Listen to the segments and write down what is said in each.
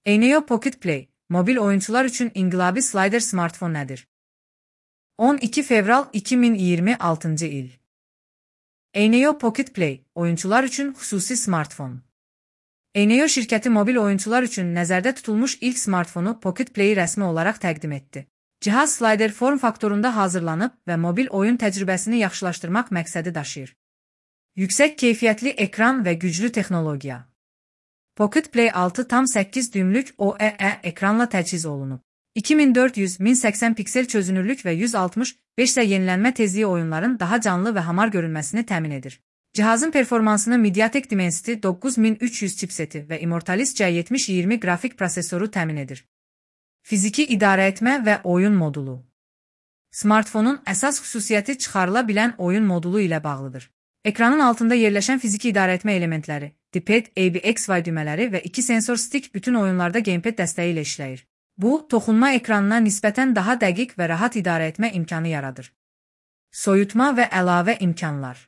Eneo Pocket Play, mobil oyuncular üçün inqilabi slider smartfon nədir? 12 fevral 2026 il. Eneo Pocket Play, oyuncular üçün xüsusi smartfon. Eneo şirkəti mobil oyuncular üçün nəzərdə tutulmuş ilk smartfonu Pocket Play-i rəsmi olaraq təqdim etdi. Cihaz slider form faktorunda hazırlanıb və mobil oyun təcrübəsini yaxşılaşdırmaq məqsədi daşıyır. Yüksək keyfiyyətli ekran və güclü texnologiya. Pocket Play 6,8 düymlük OLED ekranla təchiz olunub. 2400-1080 piksel çözünürlük və 165 yenilənmə tezliyi oyunların daha canlı və hamar görünməsini təmin edir. Cihazın performansını Mediatek Dimensity 9300 chipseti və Immortalis C7020 qrafik prosesoru təmin edir. Fiziki idarəetmə və oyun modulu. Smartfonun əsas xüsusiyyəti çıxarıla bilən oyun modulu ilə bağlıdır. Ekranın altında yerləşən fiziki idarəetmə elementləri, D-pad, ABXY düymələri və 2 sensor stick bütün oyunlarda gamepad dəstəyi ilə işləyir. Bu, toxunma ekranına nisbətən daha dəqiq və rahat idarəetmə imkanı yaradır. Soyutma və əlavə imkanlar.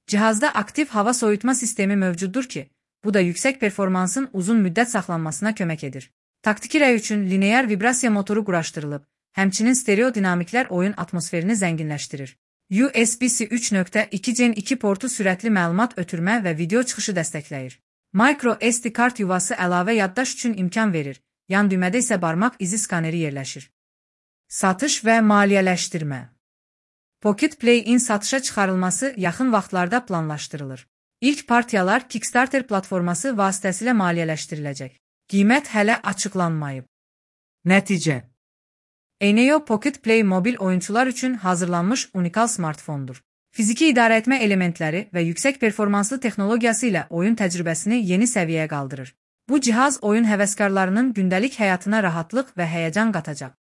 Cihazda aktiv hava soyutma sistemi mövcuddur ki, bu da yüksək performansın uzun müddət saxlanmasına kömək edir. Taktiki rəy üçün linear vibrasiya motoru quraşdırılıb, həmçinin stereo dinamiklər oyun atmosferini zənginləşdirir. USB-C 3.2 Gen 2 portu sürətli məlumat ötürmə və video çıxışı dəstəkləyir. Micro SD kart yuvası əlavə yaddaş üçün imkan verir, yan düymədə isə barmaq izi skaneri yerləşir. Satış və maliyyələşdirmə. Pocket Play-in satışa çıxarılması yaxın vaxtlarda planlaşdırılır. İlk partiyalar Kickstarter platforması vasitəsilə maliyyələşdiriləcək. Qiymət hələ açıqlanmayıb. Nəticə. Eneo Pocket Play mobil oyuncular üçün hazırlanmış unikal smartfondur. Fiziki idarəetmə elementləri və yüksək performanslı texnologiyası ilə oyun təcrübəsini yeni səviyyəyə qaldırır. Bu cihaz oyun həvəskarlarının gündəlik həyatına rahatlıq və həyəcan qatacaq.